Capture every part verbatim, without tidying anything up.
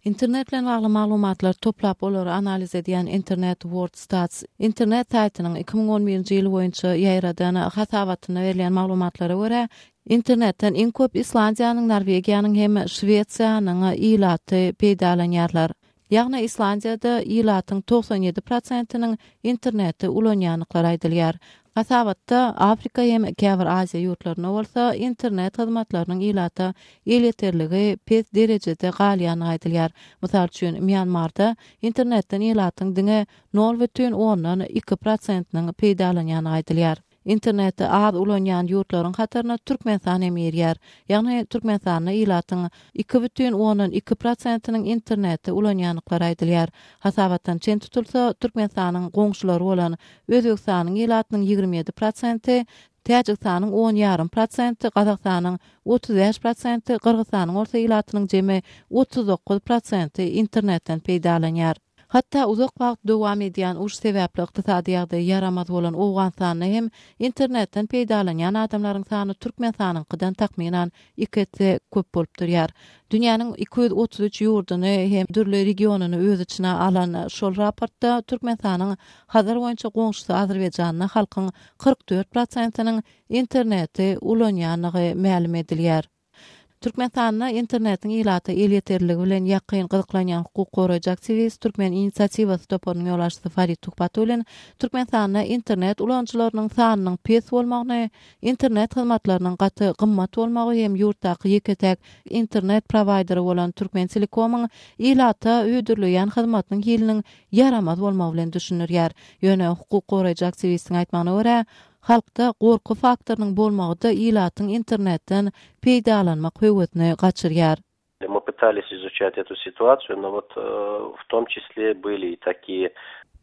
Internet bilen bagly maglumatlary toplap olary analiz edýän Internet World Stats internet saýtynyň iki müň on birinji ýyl boýunça ýaýradan hasabatynda berilýän maglumatlara görä, internetden iň köp Islandiýanyň, Norwegiýanyň hem Şwesiýanyň ilaty peýdalanýarlar. Ýagny Islandiýada ilatyň togsan ýedi prosentiniň interneti ulanýandyklary aýdylýar. Hasabatda Afrika hem käbir Aziýa ýurtlarynda bolsa internet hyzmatlarynyň ilata elýeterligi pes derejede galýandygy aýdylýar. Mysal üçin, Myanmarda internetden ilatyň diňe nol bütin ondan iki prosentiniň peýdalanýandygy aýdylýar. Interneti az ulanýan ýurtlaryň hataryna Türkmenistan hem girýär. Ýagny Türkmenistanda ilatyň iki bütin ondan iki prosentiniň interneti ulanýandyklary aýdylýar. Hasabatdan çen tutulsa, Türkmenistanyň goňşulary bolan Özbegistanyň ilatynyň ýigrimi ýedi prosenti, Täjigistanyň on ýarym prosenti, Gazagystanyň otuz bäş prosenti, Gyrgyzystanyň bolsa ilatynyň jemi otuz dokuz prosenti internetden peýdalanýar. Hatda uzak wagt dowam edýän uruş sebäpli ykdysady ýagdaý ýaramaz bolan Owganystanda hem internetden peýdalanýan adamlaryň sany Türkmenistanyňkydan takmynan iki esse köp bolup durýar. Dünýäniň iki ýüz otuz üç ýurduny hem dürli regionyny öz içine alan şol raportda Türkmenistanyň Hazar boýunça goňşusy Azerbaýjanda halkyň kyrk dört prosentiniň interneti ulanýandygy mälim edilýär. Türkmenistanda internetiň ilata elýeterligi bilen ýakyn gyzyklanýan hukuk goraýjy aktiwist Türkmen inisiatiwasy toparynyň ýolbaşçysy Farid Tuhbatullin Türkmenistanda internet ulanyjylarynyň sanynyň pes bolmagyny, internet hyzmatlarynyň gaty gymmat bolmagy hem ýurtdaky ýeke-täk internet prowaýderi bolan Türkmen Telekomyň ilata hödürleýän hyzmatynyň hiliniň ýaramaz bolmagy bilen düşündirýär. Ýöne hukuk goraýjy aktiwistiň aýtmagyna görä, halkda gorky faktorynyň bolmagy-da ilatyň internetden peýdalanmak höwesini gaçyrýar. Мы пытались изучать эту ситуацию, но вот, э, в том числе были и такие.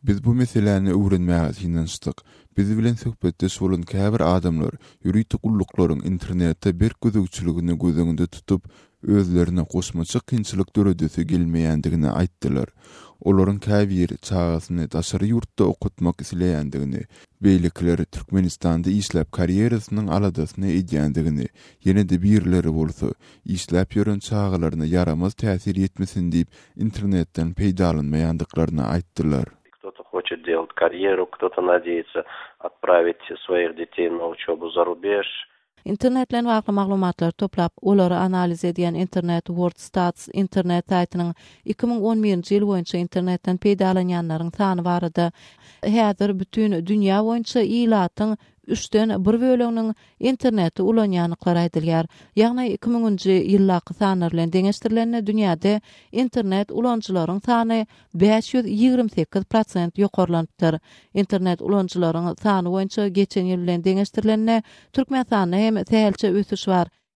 Biz bu meseläni öwrenmäge synanyşdyk. Biz bilen söhbetdeş bolan käbir adamlar ýörite gulluklaryň internete berk gözegçiligini göz öňünde tutup, özlerine goşmaça kynçylyk döredesi gelmeýändigini aýtdylar. Olaryň käbiri çagasyny daşary ýurtda okatmak isleýändigini, beýlekileri Türkmenistanda işläp karýerasynyň aladasyny edýändigini, ýene-de birleri bolsa işläp ýören çagalaryna ýaramaz täsir ýetmesin diýip internetden peýdalanmaýandyklaryny aýtdylar. Кто-то хочет делать карьеру, кто-то надеется отправить своих детей на учебу за рубеж. Internet bilen bagly maglumatlary toplap, olary analiz edýän Internet World Stats internet saýtynyň iki müň on birinji ýyl boýunça internetden peýdalanýanlaryň sany barada häzir bütün dünýä boýunça ilatyň üçden bir böleginiň interneti ulanýandyklary aýdylýar. Ýagny iki müňünji ýyldaky sanlar bilen deňeşdirilende dünýäde internet ulanyjylaryň sany bäş ýüz ýigrimi sekiz prosent ýokarlanypdyr. Internet ulanyjylaryň sany boýunça geçen ýyl bilen deňeşdirilende Türkmenistanda hem sähelçe ösüş bar.